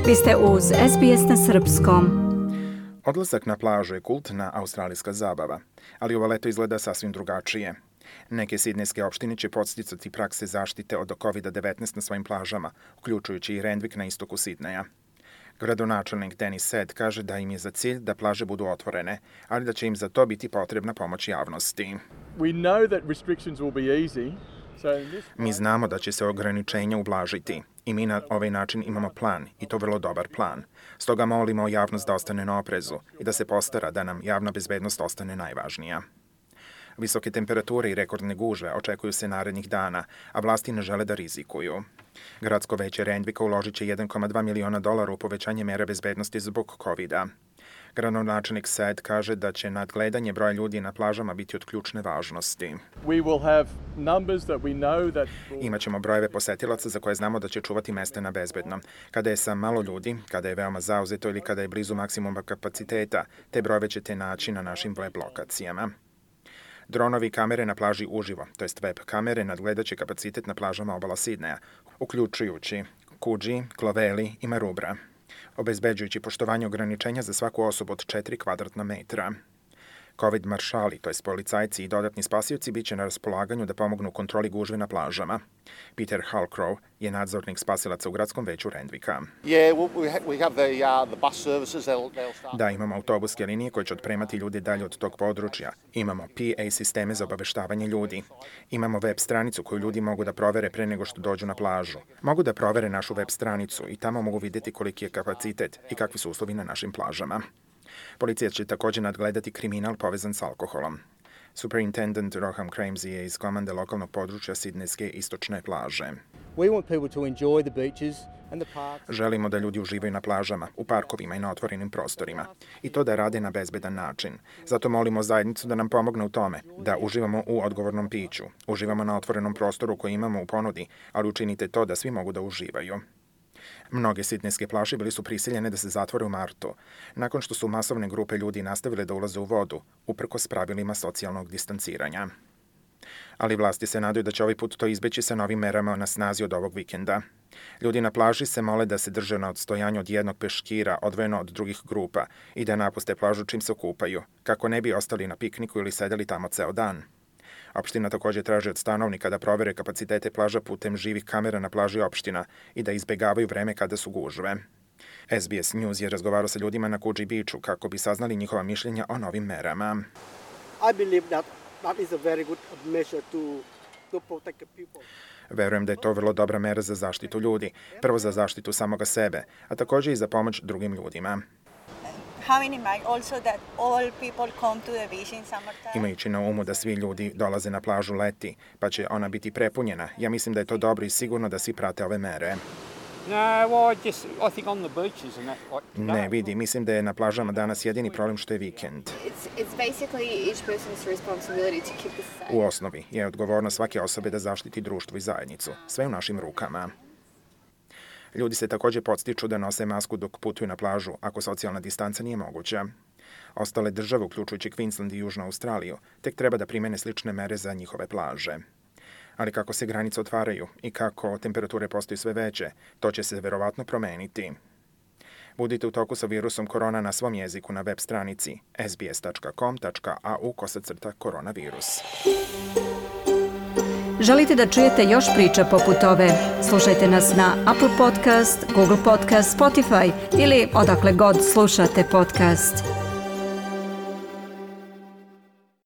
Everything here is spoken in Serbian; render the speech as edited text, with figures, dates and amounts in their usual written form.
Vi ste uz SBS na srpskom. Odlazak na plažu je kultna australijska zabava, ali ovo leto izgleda sasvim drugačije. Neke sidnejske opštine će podsticati prakse zaštite od COVID-19 na svojim plažama, uključujući i Randwick na istoku Sidneja. Gradonačelnik Dennis Said kaže da im je za cilj da plaže budu otvorene, ali da će im za to biti potrebna pomoć javnosti. Mi znamo da će se ograničenja ublažiti i mi na ovaj način imamo plan, i to vrlo dobar plan. Stoga molimo javnost da ostane na oprezu i da se postara da nam javna bezbednost ostane najvažnija. Visoke temperature i rekordne gužve očekuju se narednih dana, a vlasti ne žele da rizikuju. Gradsko veće Randwicka uložit će $1,2 miliona u povećanje mera bezbednosti zbog COVID-a. Gradonačelnik Said kaže da će nadgledanje broja ljudi na plažama biti od ključne važnosti. Imaćemo brojeve posetilaca za koje znamo da će čuvati mesta na bezbedno. Kada je sa malo ljudi, kada je veoma zauzeto ili kada je blizu maksimuma kapaciteta, te brojeve ćete naći na našim web lokacijama. Dronovi kamere na plaži uživo, to jest web kamere, nadgledat će kapacitet na plažama obala Sidneja, uključujući Coogee, Clovelly i Maroubra, obezbeđujući poštovanje ograničenja za svaku osobu od 4 kvadratna metra. COVID maršali, to jest policajci i dodatni spasioci, bit će na raspolaganju da pomognu u kontroli gužve na plažama. Peter Halcrow je nadzornik spasilaca u gradskom veću Randwicka. Da, imamo autobuske linije koje će otpremati ljude dalje od tog područja. Imamo PA sisteme za obaveštavanje ljudi. Imamo web stranicu koju ljudi mogu da provere pre nego što dođu na plažu. Mogu da provere našu web stranicu i tamo mogu vidjeti koliki je kapacitet i kakvi su uslovi na našim plažama. Policija će također nadgledati kriminal povezan s alkoholom. Superintendent Roham Cramsey je iz komande lokalnog područja Sidnejske istočne plaže. Želimo da ljudi uživaju na plažama, u parkovima i na otvorenim prostorima. I to da rade na bezbedan način. Zato molimo zajednicu da nam pomogne u tome, da uživamo u odgovornom piću. Uživamo na otvorenom prostoru koji imamo u ponudi, ali učinite to da svi mogu da uživaju. Mnoge sidnejske plaže bili su prisiljene da se zatvore u martu, nakon što su masovne grupe ljudi nastavile da ulaze u vodu, uprkos pravilima socijalnog distanciranja. Ali vlasti se nadaju da će ovaj put to izbeći sa novim merama na snazi od ovog vikenda. Ljudi na plaži se mole da se drže na odstojanju od jednog peškira odvojeno od drugih grupa i da napuste plažu čim se okupaju, kako ne bi ostali na pikniku ili sedeli tamo ceo dan. Opština također traži od stanovnika da provere kapacitete plaža putem živih kamera na plaži opština i da izbegavaju vreme kada su gužve. SBS News je razgovarao sa ljudima na Coogee Beachu kako bi saznali njihova mišljenja o novim merama. Verujem da je to vrlo dobra mera za zaštitu ljudi, prvo za zaštitu samoga sebe, a također i za pomoć drugim ljudima. Imajući na umu da svi ljudi dolaze na plažu leti, pa će ona biti prepunjena, ja mislim da je to dobro i sigurno da svi prate ove mere. Ne, vidi, mislim da je na plažama danas jedini problem što je vikend. U osnovi je odgovornost svake osobe da zaštiti društvo i zajednicu, sve u našim rukama. Ljudi se također podstiču da nose masku dok putuju na plažu, ako socijalna distanca nije moguća. Ostale države, uključujući Queensland i Južnu Australiju, tek treba da primene slične mere za njihove plaže. Ali kako se granice otvaraju i kako temperature postaju sve veće, to će se verovatno promeniti. Budite u toku sa virusom korona na svom jeziku na web stranici sbs.com.au/koronavirus. Želite da čujete još priča poput ove? Slušajte nas na Apple Podcast, Google Podcast, Spotify ili odakle god slušate podcast.